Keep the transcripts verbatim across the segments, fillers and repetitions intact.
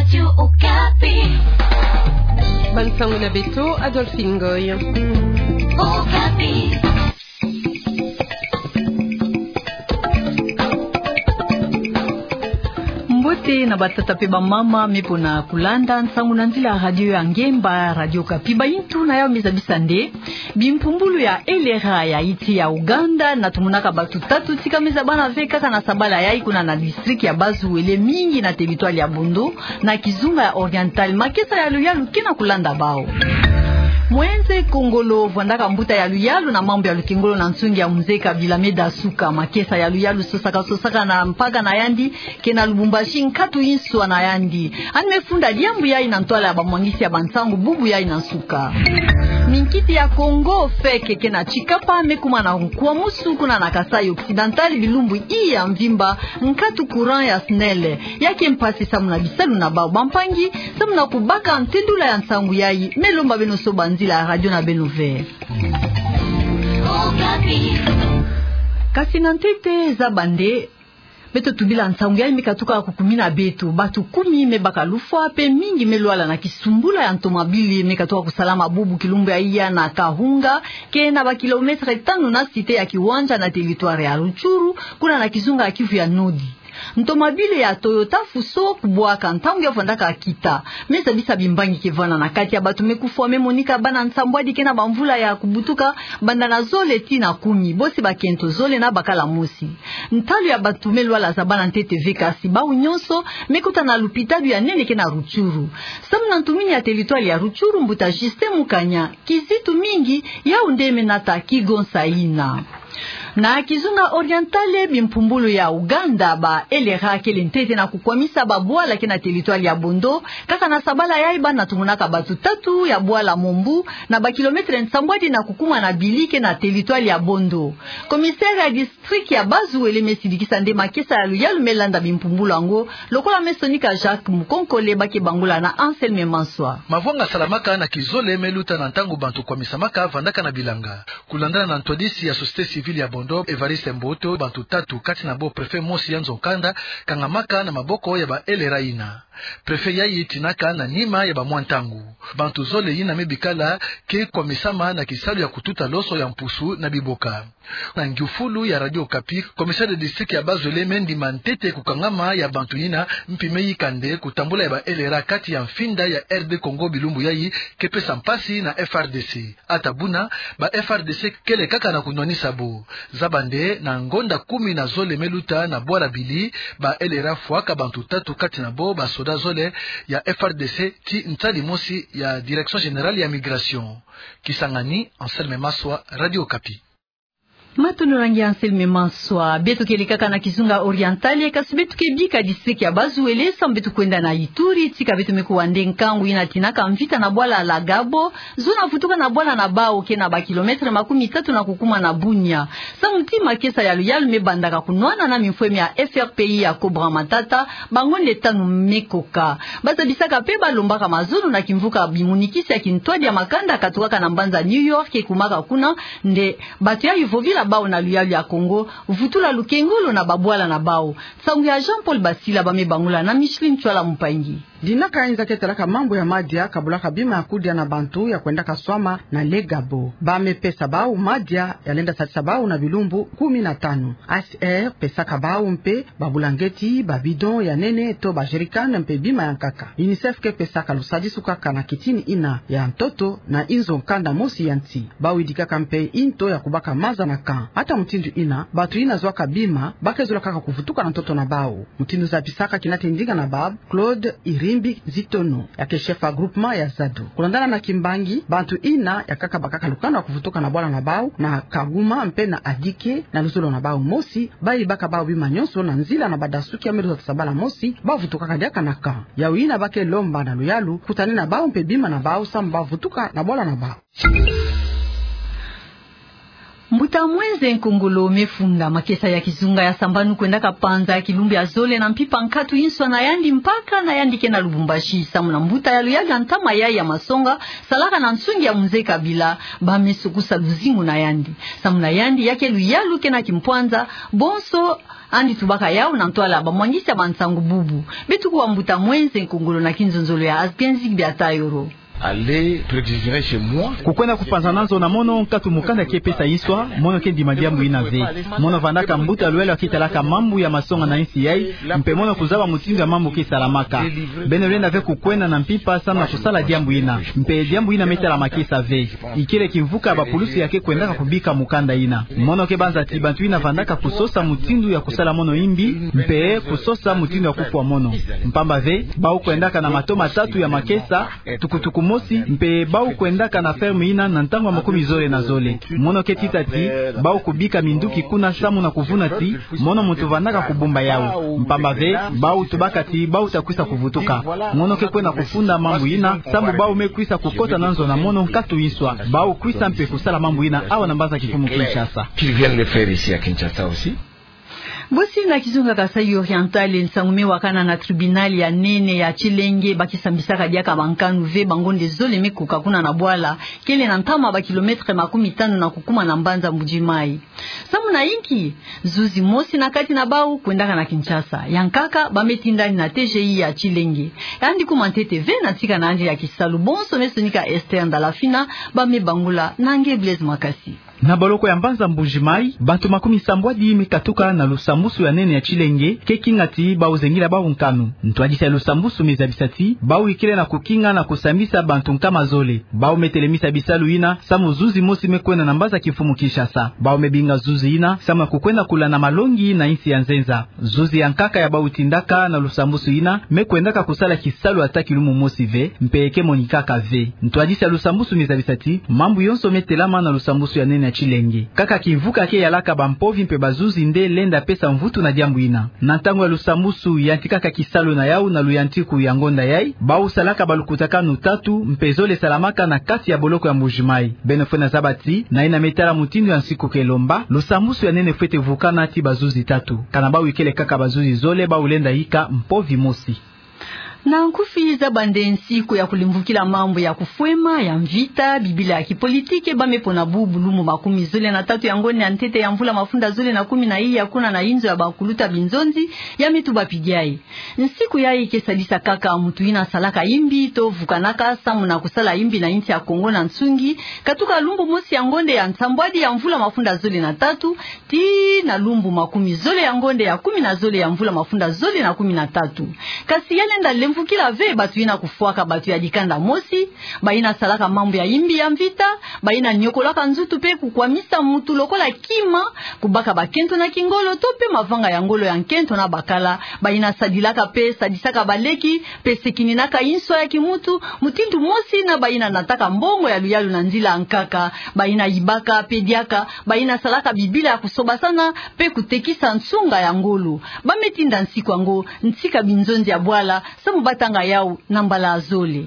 Radio Okapi. Bansango na beto, Adolphine Ngoy. Okapi. Mbote na batata pe bamama me pona kulanda nsangu na nzila radio ya ngemba, Radio Okapi. Bayintu na yawu me zabisa nde bimpumbulu ya L R A ya nsi ya Ouganda na tumunaka batu tatu tika me zabana ve kaka na sabala yayi kuna na district ya Bas-Uele, mingi na territoire ya Bondo, na kizunga ya Oriental. Makesa ya luyalu ke na kulanda bawu. Moïse Kongolo vwandaka mbuta ya luyalu na mambu ya lukengolo na nsungi ya Mzee Kabila me dasuka. Makesa ya luyalu sosaka sosaka na mpaka na yandi ke na Lubumbashi nkatu inswa na yandi. Yandi me funda diambu yayi na ntwala ya bamwangisi ya bansangu bubu yayi na nsuka. Minkiti ya Congo, FEC, ke na Tshikapa me kuma na nkwamusu kuna na Kasaï Occidental bilumbu iya mvimba, nkatu courant ya SNEL ya ke mpasi samu na bisalu na bawu. Bampangi, samu na kubaka ntendula ya nsangu yayi, me lomba beno soba nzila ya radio na beno ve. Kasi na ntete, zaba nde beto tubila nsangu yayi me katuka kukumina beto. Batu kumi me baka lufwa pe mingi me lwala na kisumbula ya ntomabili me katuka kusalama bubu kilumbu ya iya na Kahunga, ke na ba kilomètre tanu na cité ya Kiwanja na territoire ya Rutshuru, kuna na kizunga ya Kivu ya Nord. Ntomabili ya Toyota Fuso kubwaka ntangu ya vwandaka kita. Me zabisa bimbangi ke vwanda na kati ya batu me kufwa. Me monika bana nsambwadi ke na bamvula ya kubutuka, banda na zole tii na kumi, bosi bakento zole na bakala mosi. Ntalu ya batu me lwala zabana ntete ve, kasi bawu nyonso me kota na lupitalu ya nene ke na Rutshuru. Samu na ntumini ya territoire ya Rutshuru, mbuta Justin Mukanya, kizitu mingi, yawu nde me nata kigonsa yina. Na kizunga Oriental, bimpumbulu ya Ouganda, ba L R A kele ntete na kukwamisa babwala ke na territoire ya Bondo, kaka na sabala yayi bana tumunaka batu tatu ya bwala Mombu, na ba kilomètre nsambwadi na kukuma na Bili ke na territoire ya Bondo. Commissaire ya district ya Bas-Uele me sidikisa nde makesa ya luyalu me landa bimpumbulu yango, lokola me sonika Jacques Mukonkole, ba ke bangula na Anselme Maswa. Mavwanga salamaka na kizole me luta na ntangu bantu kwamisamaka vandaka na bilanga. Kulandana na ntwadisi ya société civile ya Bondo, Évariste Mboto, bantu tatu, kati na bo préfet mosi ya nzo-nkanda, kangamaka na maboko ya ba L R A yina. Préfet yayi tinaka na nima ya bamwa ntangu. Bantu zole yina me bikala ke kwamisama na kisalu ya kututa loso ya mpusu na biboka. Na ngiufulu ya Radio Okapi, commissaire de district ya Bas-Uele me ndima ntete kukangama ya bantu yina, mpi me yika nde kutambula ya ba L R A kati ya mfinda ya R D Congo bilumbu yayi ke pesa mpasi na F R D C. Ata buna, ba F R D C kele kaka na kunwanisa bo. Zaba nde na ngonda kumi na zole me luta na bwala Bili, ba L R A fwaka bantu tatu, kati na bo ba soda zole ya F R D C ti nsadi mosi ya Direction Générale ya Migration. Kisangani, Anselme Maswa, Radio Okapi. Matondo na nge Anselme Maswa. Beto kele kaka na kizunga Oriental, kasi beto ke bika district ya Bas-Uele, samu beto kwenda na Ituri, tika beto me kuwa nde nkangu yina tinaka mvita na bwala la Gabo, zo na vutuka na bwala na bawu ke na ba kilomètre makumi tatu na kukuma na Bunia. Samu ti makesa ya luyalu me bandaka kunwana na mimfweme ya F R P I ya Cobra Matata, bangonde tanu me koka. Ba zabisaka pe ba lombaka mazono na kimvuka bimunikisi ya kintwadi ya makanda katukaka na mbanza New York ke kumaka kuna, nde bato yayi vovila bawu na luyalu ya Kongo, vutula lukengolo na babwala na bawu. Nsangu ya Jean-Paul Basila, ba me bangula na Micheline Tswala Mpangi. Dinaka inza ke talaka mambu ya madia kabulaka bima ya kudia na bantu ya kwendaka swama na le Gabo. Ba me pesa bawu madia ya lenda sadisa bawu na bilumbu kumi na tanu. H C R pesaka bawu mpe babulangeti, ba bidon ya nene to ba jerrycan mpe bima ya nkaka. UNICEF ke pesaka lusadisu kaka na kitini yina ya ntoto na inzo nkanda mosi ya nsi. Ba widikaka mpe nto ya kubaka maza na camp. Ata mutindu yina, bantu yina zwaka bima, ba ke zola kaka kuvutuka na ntoto na bawu. Mutindu zabisaka kinate ndinga na bawu, Claude Irimbi Zitono, ya ke chef ya groupement ya Zado. Kulandana na kimbangi, bantu yina ya kaka bakaka lukanu ya kuvutuka na bwala na bawu, na Kaguma mpe na Adike, na luzolo na bawu mosi, ba yibaka bawu bima nyonso na nzila na badasuki ya me luzolo ta sabala mosi, ba vutukaka diaka na camp. Yawu yina ba ke lomba na luyalu, kutani na bawu mpe bima na bawu samu ba vutuka na bwala na bawu. Mbuta Mwenze Nkongolo mefunda makesa ya kizunga ya sambanu kwendaka panza kilumbu ya zole na mpimpa nkatu inswa na yandi mpaka na yandi ke na Lubumbashi, samu na mbuta ya luyalu ya ntama yayi ya masonga salaka na nsungi ya Mze Kabila, ba mesukusa luzingu na yandi. Samu na yandi ya ke luyalu ke na kimpwanza, bonso andi tubaka yau na ntwala bamwangisi ya bansangu bubu. Beto kuwa Mbuta Mwenze Nkongolo na kinzonzolo ya Asgenzi Biatayoro. Allez, pour exagérer chez moi. Kukwenda kupanza na nzo na mono nkatu mukanda ke pesa inswa, mono ke ndima diambu ina ve. Mono vandaka mbuta luyalu ya ke talaka mambu ya masonga na insi yayi, mpe mono kuzaba mutindu ya mambu ke salamaka. Beno lenda ve kukwenda na mpimpa samu na kusala diambu ina. Mpe diambu ina me tala makesa ve. Ikele kimvuka ya bapulusi ya ke kwendaka kubika mukanda ina. Mono ke banza ti bantu ina vandaka kusosa mutindu ya kusala mono imbi, mpe kusosa mutindu ya kufwa mono. Mpamba ve, bau kwendaka na mato matatu ya makesa, tukutuku mosi, mpe bau kwendaka na ferme ina na ntangu ya makumi zole na zole. Mono ke tita ti, bau kubika minduki kuna samu na kuvuna ti, mono muntu vandaka kubumba yau. Mpamba ve, bau tubaka ti, bau ta kwisa kuvutuka. Mono ke kwenda kufunda mambu ina, samu bau me kwisa kukota na nzo na mono nkatu inswa. Bau kwisa mpe kusala mambu ina awa na mbanza kimfumu Kinshasa. Qu'ils viennent le faire ici à Kinshasa aussi. Bosi na kizunga Kasaï Oriental, nsangu me wakana na tribunal ya nene ya Tshilenge, ba ke sambisaka diaka bankanu ve bangonde zole me kuka kuna na bwala, kele na ntama ba kilomètre makumi tanu na kukuma na mbanza Mbuji-Mayi. Samu na inki? Zuzi mosi na kati na bau kwendaka na Kinshasa. Ya nkaka, ba me tindani na T G I ya Tshilenge. Yandi kuma ntete ve na ntika na yandi ya kisalu, bonso me sonika Esther Ndalafina, ba me bangula na nge Blaise Makasi. Na boloko ya mbanza Mbuji-Mayi, bantu makumi sambwadi me katuka na lusambusu ya nene ya Tshilenge, ke kinga ti bau zengila bau nkanu. Ntwadisi ya lusambusu me zabisa ti, bau ikele na kukinga na kusambisa bantu nkama zole. Bau me telemisa bisalu ina, samu zuzi mosi me kwenda na mbanza kimfumu Kinshasa. Bau me binga zuzi ina, samu na kukwenda kula na malongi na insi ya nzenza. Zuzi ya nkaka ya bau tindaka na lusambusu ina, me kwendaka kusala kisalu ata kilumbu mosi ve, mpe ke monikaka ve. Ntwadisi ya lusambusu me zabisa ti, mambu yonso me telama na lusambusu ya nene ya Tshilenge. Kaka kimvuka ke yalaka bampovi mpe bazuzi nde lenda pesa mvutu na diambu ina. Na ntangu ya lusambusu yantikaka kisalu na yau na luyantiku ya ngonda yayi, bau salaka balukutakanu tatu mpe zole salamaka na kati ya boloko ya Mbuji-Mayi. Beno fwena zaba ti, na ina me tala mutindu ya nsiku ke lomba, lusambusu ya nene fwete vukana ti bazuzi tatu. Kana bau ikele kaka bazuzi zole, bau lenda yika mpovi mosi. Na nkufi, zaba nde nsiku ya kulemvukila mambu ya kufwema, ya mvita, bibila ya kipolitiki, ba me pona bubu lumbu makumi zole na tatu ya ngonda ya ntete ya mvula mafunda zole na kumi na iya kuna na inzo ya bakuluta binzonzi ya Mituba Pidiaye. Nsiku yayi ke sadisa kaka muntu ina salaka imbi to vukanaka samu na kusala imbi na insi ya Kongo na nsungi, katuka lumbu mosi ya ngonda ya nsambwadi ya mvula mafunda zole na tatu, tii na lumbu makumi zole ya ngonda ya kumi na zole ya mvula mafunda zole na kumi na tatu. Kasi ya lenda lemvukila ve bantu ina kufwaka bantu ya dikanda mosi, ba ina salaka mambu ya imbi ya mvita, ba ina nyokolaka nzutu mpe kukwamisa muntu lokola kima, kubaka bakento na kingolo to mpe mavanga ya ngolo ya nkento na bakala, ba ina sadilaka mpe sadisaka baleki, mpe sekininaka inso ya kimuntu, mutindu mosi na ba ina nataka mbongo ya luyalu na nzila ya nkaka, ba ina yibaka mpe diaka, ba ina salaka bibila ya kusobasana, mpe kutekisa nsunga ya ngolo. Ba me tinda nsiku yango ntika binzonzi ya bwala, samu ba tanga yau na mbala ya zole.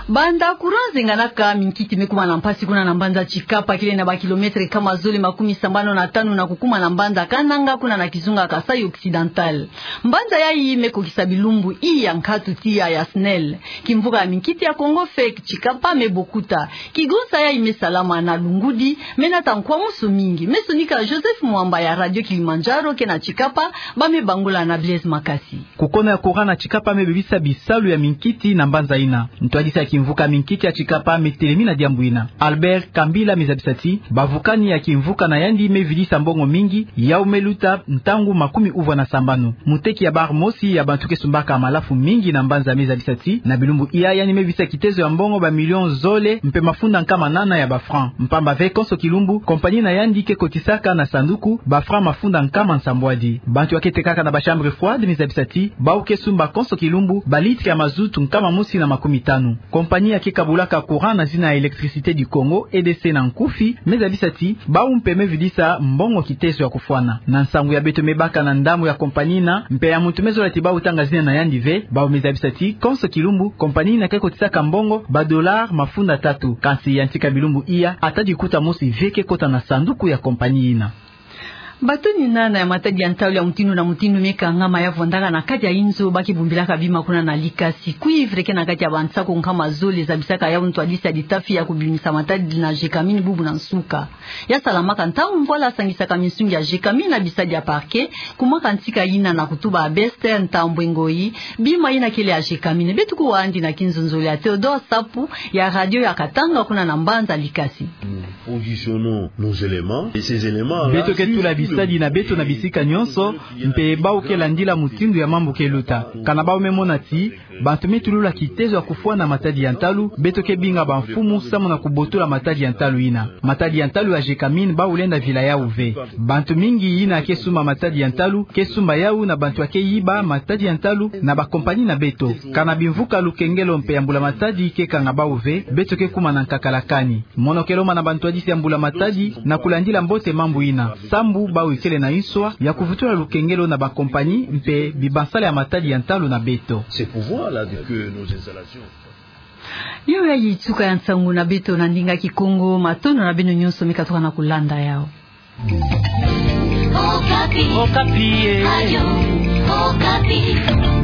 Banda courant zenganaka, minkiti me kuma na mpasi kuna na mbanza Tshikapa, kele na ba kilomètre nkama zole makumi sambanu na tanu na kukuma na mbanza Kananga, kuna na kizunga Kasaï Occidental. Mbanza yayi me kokisa bilumbu iya nkatu tiya ya SNEL. Kimvuka ya minkiti ya Kongo, FEC, Tshikapa me bokuta. Kigonsa yayi me salama na Lungudi, me nata nkwamusu mingi. Me sonika Joseph Mwamba ya Radio Kilimanjaro ke na Tshikapa, ba me bangula na Blaise Makasi. Kukono ya courant na Tshikapa me bebisa bisalu ya minkiti na mbanza ina. Ntwadisi ya kimvuka minkiti ya Tshikapa me telemi na diambu ina. Albert Kambila me zabisa ti, bavukani ya kimvuka na yandi me vidisa mbongo mingi, yau me luta ntangu makumi uvwa na sambanu. Muteki ya bar mosi ya bantu ke sumbaka malafu mingi na mbanza me zabisa ti, na bilumbu iya yandi me visa kitezo ya mbongo ba million zole mpe mafunda nkama nana ya ba francs. Mpamba ve konso kilumbu, compagnie na yandi ke kotisaka na sanduku ba francs mafunda nkama nsambwadi. Bantu ya ke tekaka na ba chambre froide me zabisa ti, bau ke sumba konso kilumbu ba litre ya mazout nkama mosi na makumi tanu. Compagnie ya ke kabulaka courant na zina ya Électricité du Congo, E D C na nkufi, me zabisa ti bau mpe me vidisa mbongo kitezo ya kufwana. Na nsangu ya beto me baka na ndambu ya compagnie ina, mpe ya muntu me zola ti bau tanga zina na yandi ve, bau me zabisa ti konso kilumbu compagnie ina ke kotisaka mbongo ba dollars mafunda tatu. Kansi ya ntika bilumbu iya, ata likuta mosi ve ke kota na sanduku ya compagnie ina. Bato ni nana ya matadi ya ntalu ya mutindu na mutindu me kangama ya vwandaka na kati ya inzo ba ke bumbilaka bima kuna na Likasi. Cuivre ke na kati ya bansaku nkama zole zabisaka yau ntwadisi ya litafi ya kubimisa matadi na Gécamines bubu na nsuka. Ya salamaka ntangu mvwala asangisaka minsungi ya Gécamines na bisadi ya parquet, kumwaka ntika ina na kutuba Bester Ntambwe Ngoyi, bima ina kele ya Gécamines. Beto kuwa andi na kinzonzolo ya Théodore Sapu ya radio ya Katanga kuna na mbanza Likasi. Nous positionnons nos éléments et ces éléments-là, beto ke tula bisadi na beto na bisika nyonso, mpe bau ke landila mutindu ya mambu ke luta. Kana bau me mona ti bantu me tulula kitezo ya kufwana matadi ya ntalu, beto ke binga bamfumu samu na kubotola matadi ya ntalu ina. Matadi ya ntalu ya Gécamines bau lenda vila yau ve. Bantu mingi ina ke sumba matadi ya ntalu, ke sumba yau na bantu ya ke yiba matadi ya ntalu na ba compagnie na beto. Kana bimvuka lukengelo mpe ya mbula matadi ke kanga bau ve, beto ke kuma na nkakala kani. Mono ke lomba na bantwadisi ya mbula matadi na kulandila mbote mambu ina, sambu bau ikele na inswa ya kuvutula lukengelo na ba compagnie mpe bibansala ya matadi ya ntalu na beto. Ces pouvoirs-là de que nos installations. Yo yayi nsuka ya nsangu na beto na ndinga Kikongo, matondo na beno nyonso me katuka na kulanda yau. Okapi. Okapi, eh. Radio Okapi.